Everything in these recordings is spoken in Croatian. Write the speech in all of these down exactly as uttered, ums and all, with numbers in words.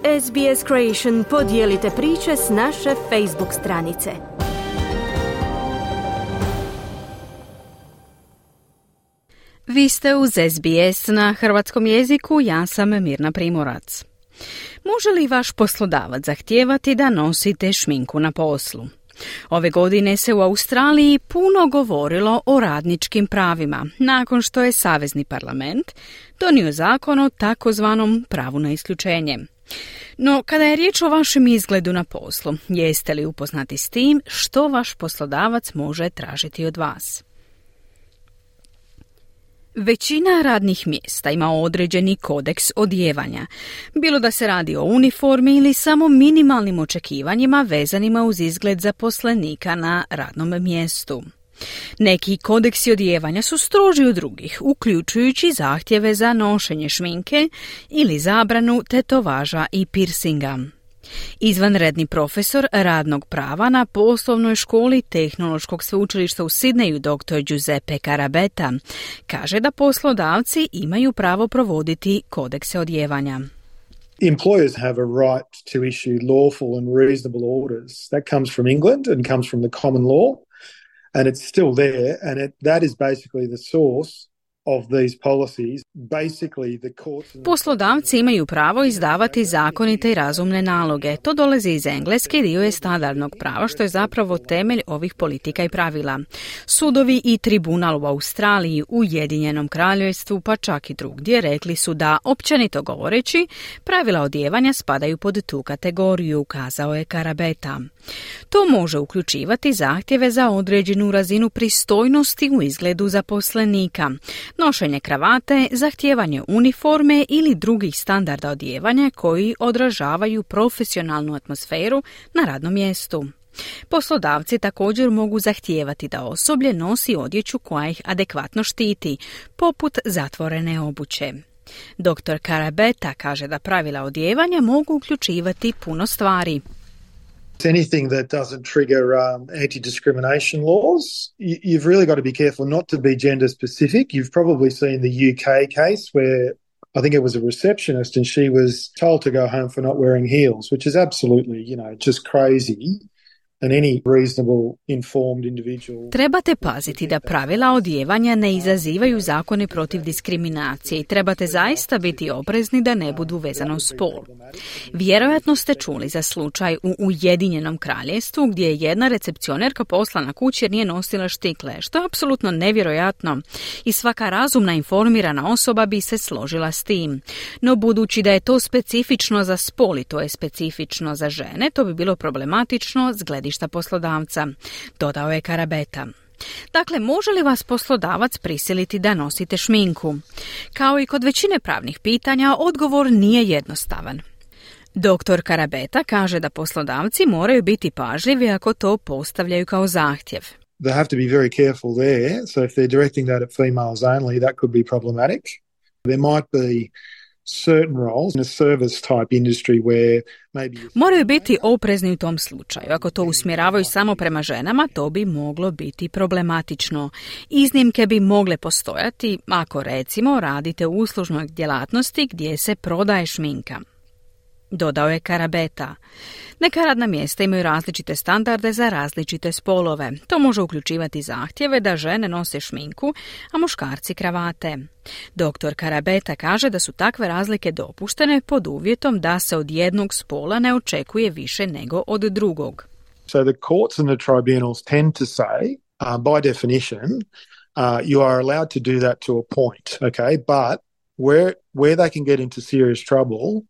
S B S Creation podijelite priče s naše Facebook stranice. Vi ste uz S B S na hrvatskom jeziku, ja sam Mirna Primorac. Može li vaš poslodavac zahtijevati da nosite šminku na poslu? Ove godine se u Australiji puno govorilo o radničkim pravima, nakon što je Savezni parlament donio zakon o takozvanom pravu na isključenje. No, kada je riječ o vašem izgledu na poslu, jeste li upoznati s tim što vaš poslodavac može tražiti od vas? Većina radnih mjesta ima određeni kodeks odijevanja, bilo da se radi o uniformi ili samo minimalnim očekivanjima vezanima uz izgled zaposlenika na radnom mjestu. Neki kodeksi odijevanja su stroži od drugih, uključujući zahtjeve za nošenje šminke ili zabranu tetovaža i piercinga. Izvanredni profesor radnog prava na poslovnoj školi Tehnološkog sveučilišta u Sidneju, doktor Giuseppe Carabetta, kaže da poslodavci imaju pravo provoditi kodekse odijevanja. Employers have a right to issue lawful and reasonable orders. That comes from England and comes from the common law, and it's still there, and it, that is basically the source of these policies. Basically the courts and... Poslodavci imaju pravo izdavati zakonite i razumne naloge. To dolazi iz Engleske, dio je standardnog prava, što je zapravo temelj ovih politika i pravila. Sudovi i tribunal u Australiji, Ujedinjenom Kraljevstvu, pa čak i drugdje, rekli su da, općenito govoreći, pravila odijevanja spadaju pod tu kategoriju, kazao je Carabetta. To može uključivati zahtjeve za određenu razinu pristojnosti u izgledu zaposlenika, nošenje kravate, zahtijevanje uniforme ili drugih standarda odijevanja koji odražavaju profesionalnu atmosferu na radnom mjestu. Poslodavci također mogu zahtijevati da osoblje nosi odjeću koja ih adekvatno štiti, poput zatvorene obuće. doktor Carabetta kaže da pravila odijevanja mogu uključivati puno stvari. Anything that doesn't trigger um, anti-discrimination laws, you, you've really got to be careful not to be gender specific. You've probably seen the U K case where I think it was a receptionist and she was told to go home for not wearing heels, which is absolutely, you know, just crazy. And any reasonable, informed individual... Trebate paziti da pravila odijevanja ne izazivaju zakone protiv diskriminacije i trebate zaista biti oprezni da ne budu vezano uz spol. Vjerojatno ste čuli za slučaj u Ujedinjenom Kraljevstvu gdje je jedna recepcionerka poslana kući jer nije nosila štikle, što je apsolutno nevjerojatno i svaka razumna informirana osoba bi se složila s tim. No budući da je to specifično za spol i to je specifično za žene, to bi bilo problematično s gledišta poslodavca, dodao je Carabetta. Dakle, može li vas poslodavac prisiliti da nosite šminku? Kao i kod većine pravnih pitanja, odgovor nije jednostavan. doktor Carabetta kaže da poslodavci moraju biti pažljivi ako to postavljaju kao zahtjev. They have to be very careful there. So if they're directing that at females only, that could be problematic. There might be certain roles in a service type industry where maybe... Moraju biti oprezni u tom slučaju. Ako to usmjeravaju samo prema ženama, to bi moglo biti problematično. Iznimke bi mogle postojati ako, recimo, radite u uslužnoj djelatnosti gdje se prodaje šminka, dodao je Carabetta. Neka radna mjesta imaju različite standarde za različite spolove. To može uključivati zahtjeve da žene nose šminku, a muškarci kravate. doktor Carabetta kaže da su takve razlike dopuštene pod uvjetom da se od jednog spola ne očekuje više nego od drugog. So the courts and the tribunals tend to say, uh, by definition, uh, you are allowed to do that to a point, okay? But where where they can get into serious trouble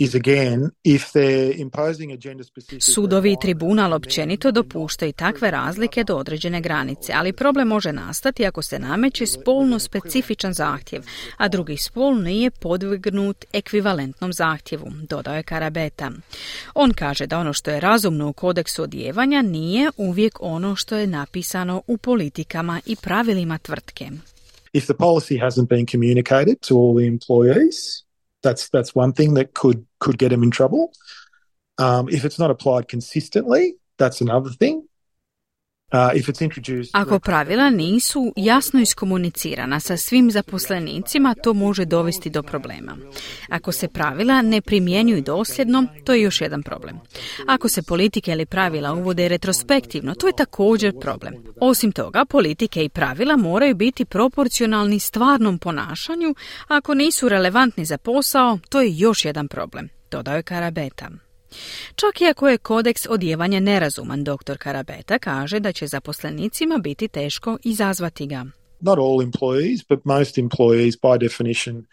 is again if they're imposing a gender specific... Sudovi i tribunal općenito dopuštaju takve razlike do određene granice, ali problem može nastati ako se nameće spolno specifičan zahtjev, a drugi spol nije podvrgnut ekvivalentnom zahtjevu, dodao je Carabetta. On kaže da ono što je razumno u kodeksu odijevanja nije uvijek ono što je napisano u politikama i pravilima tvrtke. If the policy hasn't been communicated to all the employees, That's that's one thing that could could get them in trouble. Um, if it's not applied consistently, that's another thing. Uh, if it's introduced... Ako pravila nisu jasno iskomunicirana sa svim zaposlenicima, to može dovesti do problema. Ako se pravila ne primjenjuju dosljedno, to je još jedan problem. Ako se politike ili pravila uvode retrospektivno, to je također problem. Osim toga, politike i pravila moraju biti proporcionalni stvarnom ponašanju, a ako nisu relevantni za posao, to je još jedan problem, dodao je Karabeta. Čak i ako je kodeks odijevanja nerazuman, doktor Karabeta kaže da će zaposlenicima biti teško izazvati ga. Not all employees, but most employees by definition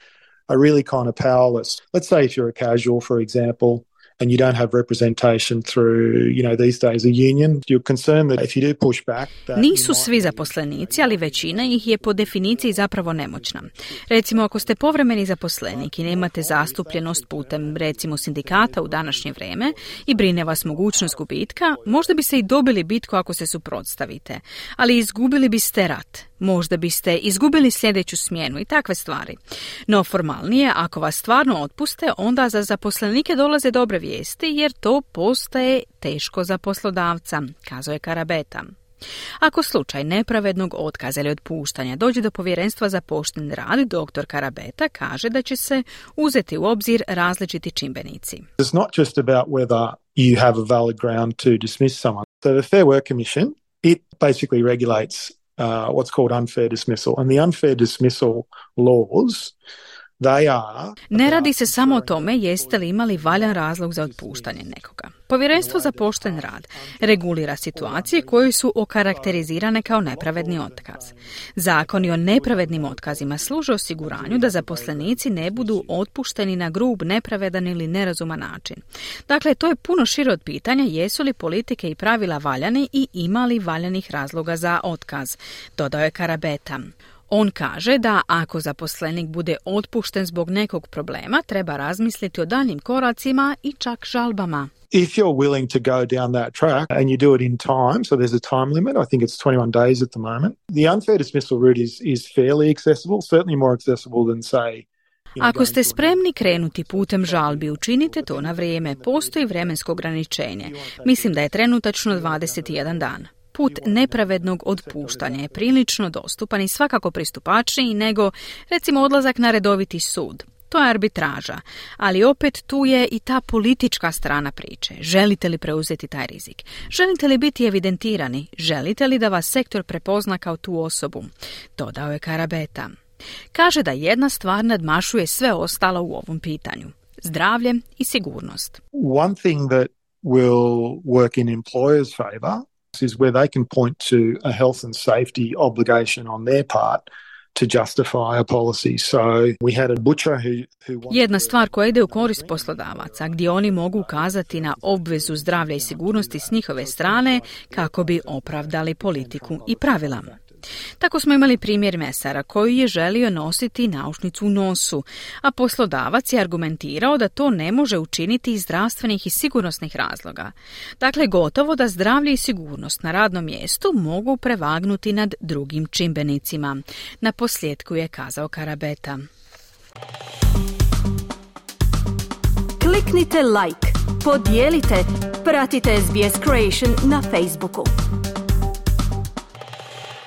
are really kind of powerless. Let's say if you're a casual, for example, and you don't have representation through, you know, these days a union, you're concerned that if you do push back... That Nisu svi zaposlenici, ali većina ih je po definiciji zapravo nemoćna. Recimo, ako ste povremeni zaposlenik i nemate zastupljenost putem, recimo, sindikata u današnje vrijeme i brine vas mogućnost gubitka, možda bi se i dobili bitku ako se suprotstavite, ali izgubili biste rat. Možda biste izgubili sljedeću smjenu i takve stvari. No formalnije, ako vas stvarno otpuste, onda za zaposlenike dolaze dobre vijesti jer to postaje teško za poslodavca, kazao je Karabeta. Ako slučaj nepravednog otkaza ili otpuštanja dođe do Povjerenstva za pošten rad, doktor Karabeta kaže da će se uzeti u obzir različiti čimbenici. It's not just about whether you have a valid ground to dismiss someone. So the Fair Work Commission, it basically regulates Uh, what's called unfair dismissal. And the unfair dismissal laws, they are... Ne radi se samo o tome jeste li imali valjan razlog za otpuštanje nekoga. Povjerenstvo za pošten rad regulira situacije koje su okarakterizirane kao nepravedni otkaz. Zakoni o nepravednim otkazima služe osiguranju da zaposlenici ne budu otpušteni na grub, nepravedan ili nerazuman način. Dakle, to je puno šire od pitanja jesu li politike i pravila valjani i ima li valjanih razloga za otkaz, dodao je Karabeta. On kaže da ako zaposlenik bude otpušten zbog nekog problema, treba razmisliti o daljnjim koracima i čak žalbama. If you're willing to go down that track and you do it in time, so there's a time limit, I think it's twenty-one days at the moment, the unfair dismissal route is, is fairly accessible, certainly more accessible than, say, Ako ste spremni krenuti putem žalbi, učinite to na vrijeme. Postoji vremensko ograničenje. Mislim da je trenutačno dvadeset jedan dan. Put nepravednog otpuštanja je prilično dostupan i svakako pristupačniji nego, recimo, odlazak na redoviti sud. To je arbitraža, ali opet tu je i ta politička strana priče. Želite li preuzeti taj rizik? Želite li biti evidentirani? Želite li da vas sektor prepozna kao tu osobu? Dodao je Karabeta. Kaže da jedna stvar nadmašuje sve ostalo u ovom pitanju. Zdravlje i sigurnost. One thing that will work in employers' favor is where they can point to a health and safety obligation on their part to justify a policy. So we had a butcher who, who Jedna stvar koja ide u korist poslodavaca, gdje oni mogu ukazati na obvezu zdravlja i sigurnosti s njihove strane kako bi opravdali politiku i pravila. Tako smo imali primjer mesara koji je želio nositi naušnicu u nosu, a poslodavac je argumentirao da to ne može učiniti iz zdravstvenih i sigurnosnih razloga. Dakle, gotovo da zdravlje i sigurnost na radnom mjestu mogu prevagnuti nad drugim čimbenicima. Na posljedku je kazao Karabeta. Kliknite like, podijelite, pratite S B S Creation na Facebooku.